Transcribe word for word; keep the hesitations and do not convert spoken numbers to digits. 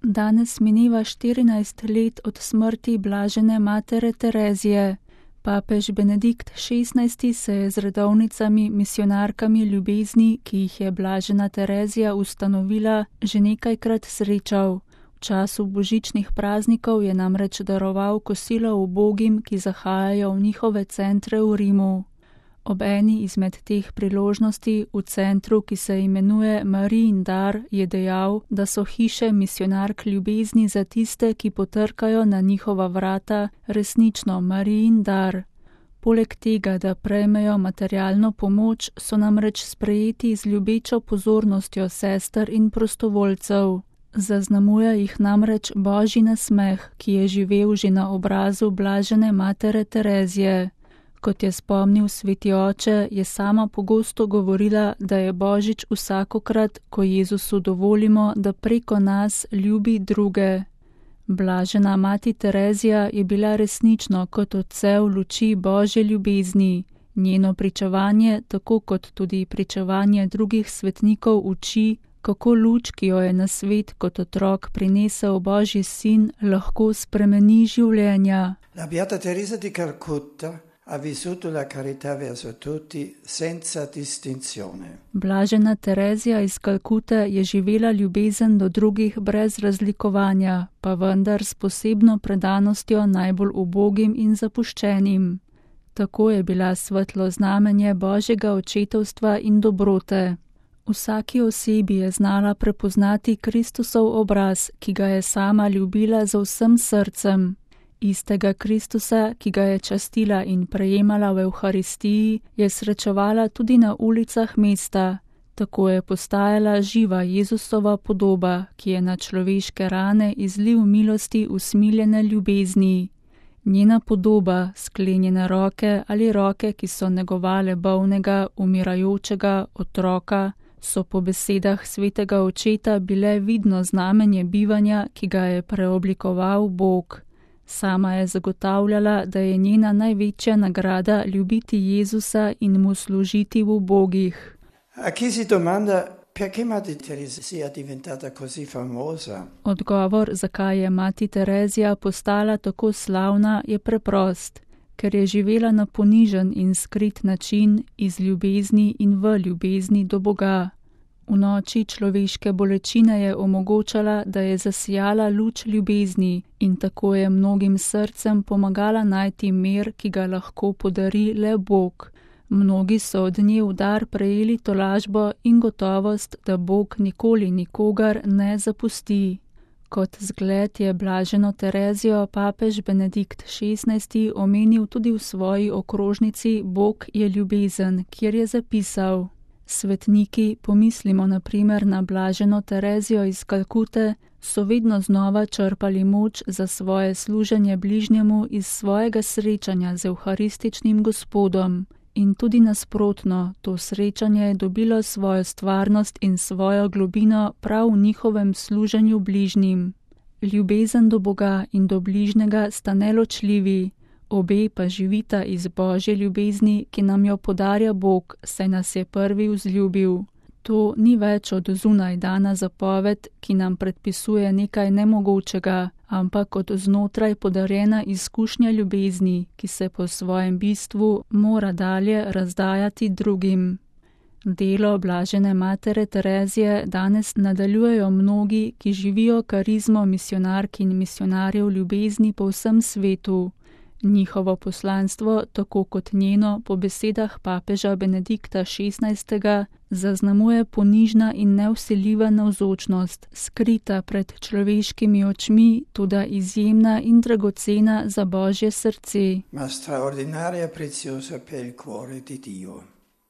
Danes mineva štirinajst let od smrti blažene matere Terezije. Papež Benedikt šestnajsti se je z redovnicami misionarkami ljubezni, ki jih je blažena Terezija ustanovila, že nekajkrat srečal. V času božičnih praznikov je namreč daroval kosilo ubogim, ki zahajajo v njihove centre v Rimu. Ob eni izmed teh priložnosti v centru, ki se imenuje Marijin dar, je dejal, da so hiše misionark ljubezni za tiste, ki potrkajo na njihova vrata, resnično Marijin dar. Poleg tega, da prejmejo materialno pomoč, so namreč sprejeti z ljubečo pozornostjo sester in prostovoljcev. Zaznamuje jih namreč božji nasmeh, ki je živel že na obrazu blažene matere Terezije. Kot je spomnil sveti oče, je sama pogosto govorila, da je božič vsakokrat, ko Jezusu dovolimo, da preko nas ljubi druge. Blažena mati Terezija je bila resnično kot odsev luči božje ljubezni. Njeno pričevanje, tako kot tudi pričevanje drugih svetnikov, uči, kako luč, ki jo je na svet kot otrok prinesel božji sin, lahko spremeni življenja. La Beata Teresa di Calcutta ha vissuto la carità verso tutti senza distinzione. Blažena Terezija iz Kalkute je živela ljubezen do drugih brez razlikovanja, pa vendar s posebno predanostjo najbolj ubogim in zapuščenim. Tako je bila svetlo znamenje božjega očetovstva in dobrote. Vsaki osebi je znala prepoznati Kristusov obraz, ki ga je sama ljubila z vsem srcem. Istega Kristusa, ki ga je častila in prejemala v Evharistiji, je srečevala tudi na ulicah mesta. Tako je postajala živa Jezusova podoba, ki je na človeške rane izliv milosti usmiljene ljubezni. Njena podoba, sklenjene roke ali roke, ki so negovale bolnega, umirajočega otroka, so po besedah svetega očeta bile vidno znamenje bivanja, ki ga je preoblikoval Bog. Sama je zagotavljala, da je njena največja nagrada ljubiti Jezusa in mu služiti v ubogih. A chi si domanda perché Mati Teresa sia diventata così famosa? Odgovor, zakaj je mati Terezija postala tako slavna, je preprost, ker je živela na ponižen in skrit način iz ljubezni in v ljubezni do Boga. V noči človeške bolečine je omogočala, da je zasijala luč ljubezni in tako je mnogim srcem pomagala najti mir, ki ga lahko podari le Bog. Mnogi so od nje v dar prejeli tolažbo in gotovost, da Bog nikoli nikogar ne zapusti. Kot zgled je blaženo Terezijo papež Benedikt šestnajsti omenil tudi v svoji okrožnici Bog je ljubezen, kjer je zapisal: Svetniki, pomislimo na primer na blaženo Terezijo iz Kalkute, so vedno znova črpali moč za svoje služenje bližnjemu iz svojega srečanja z evharističnim Gospodom. In tudi nasprotno, to srečanje je dobilo svojo stvarnost in svojo globino prav v njihovem služenju bližnjim. Ljubezen do Boga in do bližnjega sta neločljivi, obe pa živita iz božje ljubezni, ki nam jo podarja Bog, saj nas je prvi vzljubil. To ni več od zunaj dana zapoved, ki nam predpisuje nekaj nemogočega, ampak od znotraj podarjena izkušnja ljubezni, ki se po svojem bistvu mora dalje razdajati drugim. Delo blažene matere Terezije danes nadaljujejo mnogi, ki živijo karizmo misionark in misionarjev ljubezni po vsem svetu. Njihovo poslanstvo, tako kot njeno, po besedah papeža Benedikta šestnajstega, zaznamuje ponižna in nevsiljiva navzočnost, skrita pred človeškimi očmi, toda izjemna in dragocena za Božje srce. Ma straordinaria preziosa per il cuore di Dio.